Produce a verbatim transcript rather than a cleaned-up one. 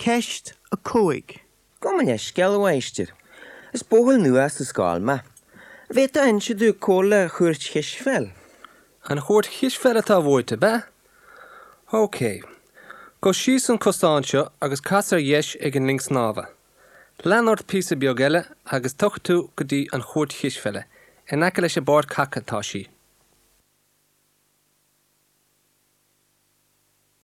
Ceist a cúig. Gabh mo leithscéal, a mháistir. Is buachaill nua sa scoil mé. An bhféadfá a inse domh cá bhfuil an chúirt chispheil. An chúirt chispheil atá uait, ab ea? Ok. Gabh síos an cosán seo agus cas ar dheis ag an linn snámha. Lean ort píosa beag eile agus tiocfaidh tú go dtí an chúirt chispheile, in aice leis an bpáirc haca atá sí.